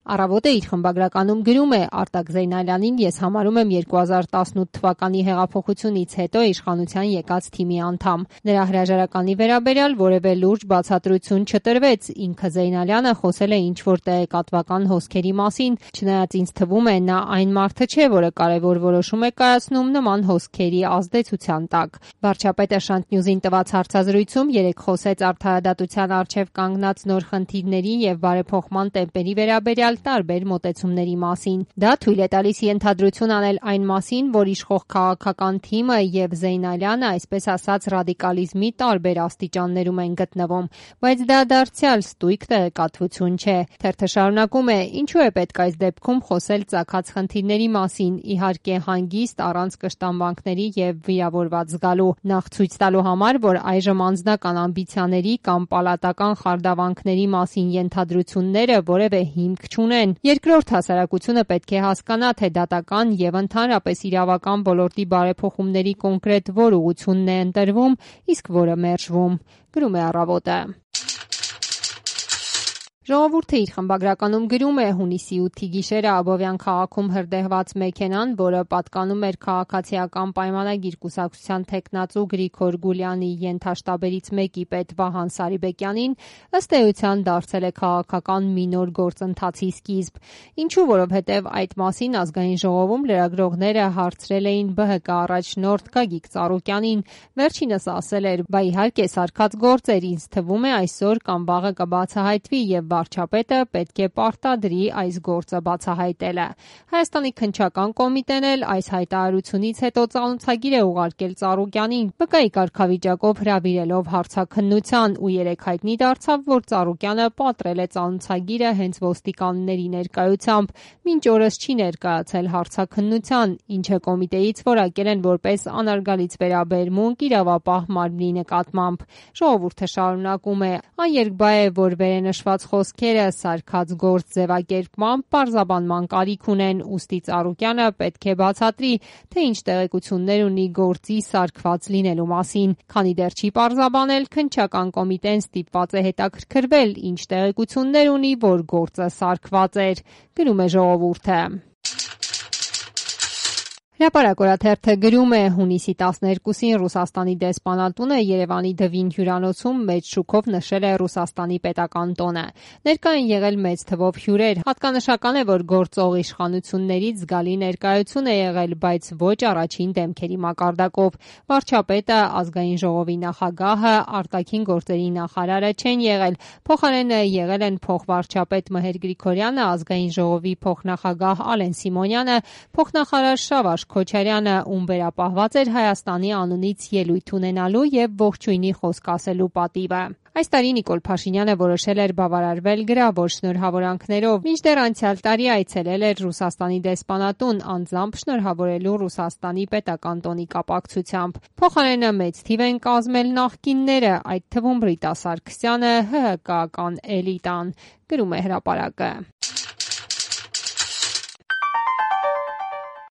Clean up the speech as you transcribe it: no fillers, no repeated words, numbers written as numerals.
Առավոտը իր խմբագրականում գրում է. Արտակ Զեյնալյանին ես համարում եմ 2018 թվականի հեղափոխությունից հետո իշխանության եկած թիմի անդամ։ Նրա հրաժարականի վերաբերյալ որևէ լուրջ բացատրություն չտրվեց, ինքը Զեյնալյանը խոսել է ինչ-որ տեղեկատվական հոսքերի մասին, չնայած ինձ թվում է նա այն մարդը չէ, որը կարևոր որոշում է կայացնում նման հոսքերի ազդեցության տակ։ Վարչապետը Շանթ Նյուզին տված հարցազրույցում երեկ խոսեց արդարադատության առջև կանգնած նոր խնդիրների եւ բարեփոխման տեմպերի վերաբերյալ տարբեր մոտեցումների մասին։ Դա թույլ է տալիս ենթադրություն անել այն մասին, որ իշխող քաղաքական թիմը եւ Զեյնալյանը, այսպես ասած, ռադիկալիզմի տարբեր աստիճաններում են գտնվում, բայց դա դարձյալ ստույգ տեղեկատվություն չէ։ Թերթը շարունակում է. ինչու է պետք այս դեպքում խոսել ծագած խնդիրների մասին, իհարկե հանգիստ, առանց կշտամբանքների եւ վիրավորված զգալու, նախ ցույց տալու համար, որ այժմ անձնական ամբիցիաների կամ պալատական խարդավանքների մասին ենթադրությունները որևէ հիմք չունեն։ Երկրորդ, հասարակությունը պետք է հասկանա, թե դատական եւ ընդհանրապես իրավական ոլորտի բարեփոխումների կոնկրետ որ ուղղությունն է ընտրվում, իսկ որը մերժվում։ Գրում է Առավոտը։ Ժողովուրդը իր խմբագրականում գրում է. հունիսի 8-ի գիշերը Աբովյան քաղաքում հրդեհված մեքենան, որը պատկանում էր Քաղաքացիական պայմանագիր կուսակցության թեկնածու Գրիգոր Գուլյանի ենթաշտաբերից մեկի պետ Վահան Սարիբեկյանին, ըստ էության դարձել է քաղաքական մի նոր գործընթացի սկիզբ։ Ինչու, որովհետև այդ մասին Ազգային ժողովում լրագրողները հարցրել էին ԲՀԿ առաջնորդ Գագիկ Ծառուկյանին, վերջինս ասել էր. «Բա իհարկե սարքած գործ էր, ինձ թվում է այսօր կամ վաղը կբացահայտվի եւ վարչապետը պետք է պարտադրի այս գործը բացահայտելը»։ Հայաստանի քննչական կոմիտեն էլ այս հայտարարությունից հետո ծանոթագիր է ուղարկել Ծառուկյանին, ԲԿ-ի կարգավիճակով հրավիրելով հարցաքննության, ու երեկ հայտնի դարձավ, որ Ծառուկյանը պատռել է ծանոթագիրը հենց ոստիկանների ներկայությամբ, մինչ օրս չի ներկայացել հարցաքննության, ինչը կոմիտեից որակել են որպես անարգալից վերաբերմունք իրավապահ մարմնի նկատմամբ։ Ժողովուրդը շարունակում է. այն երկբա է, որ վերենշված խոսքերը սարքած գործ ձևակերպմամբ պարզաբանման կարիք ունեն, ուստի Ծառուկյանը պետք է բացատրի, թե ինչ տեղեկություններ ունի գործի սարքված լինելու մասին։ Քանի դեռ չի պարզաբանել, քննչական կոմիտեն ստիպված է հետաքրքրվել, ինչ տեղեկություններ ունի, որ գործը սարքված էր։ Գրում է Ժողովուրդը։ Հրապարակ օրաթերթը գրում է. հունիսի 12-ին Ռուսաստանի դեսպանատունը Երևանի Դվին հյուրանոցում մեծ շուքով նշել է Ռուսաստանի պետական տոնը։ Ներկա են եղել մեծ թվով հյուրեր։ Հատկանշական է, որ գործող իշխանություններից զգալի ներկայություն է եղել, բայց ոչ առաջին դեմքերի մակարդակով։ Վարչապետը, Ազգային ժողովի նախագահը, արտաքին գործերի նախարարը չեն եղել։ Փոխարենը եղել են փոխվարչապետ Մհեր Գրիգորյանը, Ազգային ժողովի փոխնախագահ Ալեն Սիմոնյանը, փոխնախարար Շավարժ Քոչարյանը, ում վերապահված էր Հայաստանի անունից ելույթ ունենալու եւ ողջույնի խոսք ասելու պատիվը։ Այս տարի Նիկոլ Փաշինյանը որոշել էր բավարարվել գրավոր շնորհավորանքներով, մինչդեռ անցյալ տարի այցելել էր Ռուսաստանի դեսպանատուն, անձամբ շնորհավորելու Ռուսաստանի պետական տոնի կապակցությամբ։ Փոխարենը մեծ թիվ են կազմել նախկինները, այդ թվում Ռիտա Սարգսյանը, ՀՀԿ-ական էլիտան։ Գրում է Հրապարակը։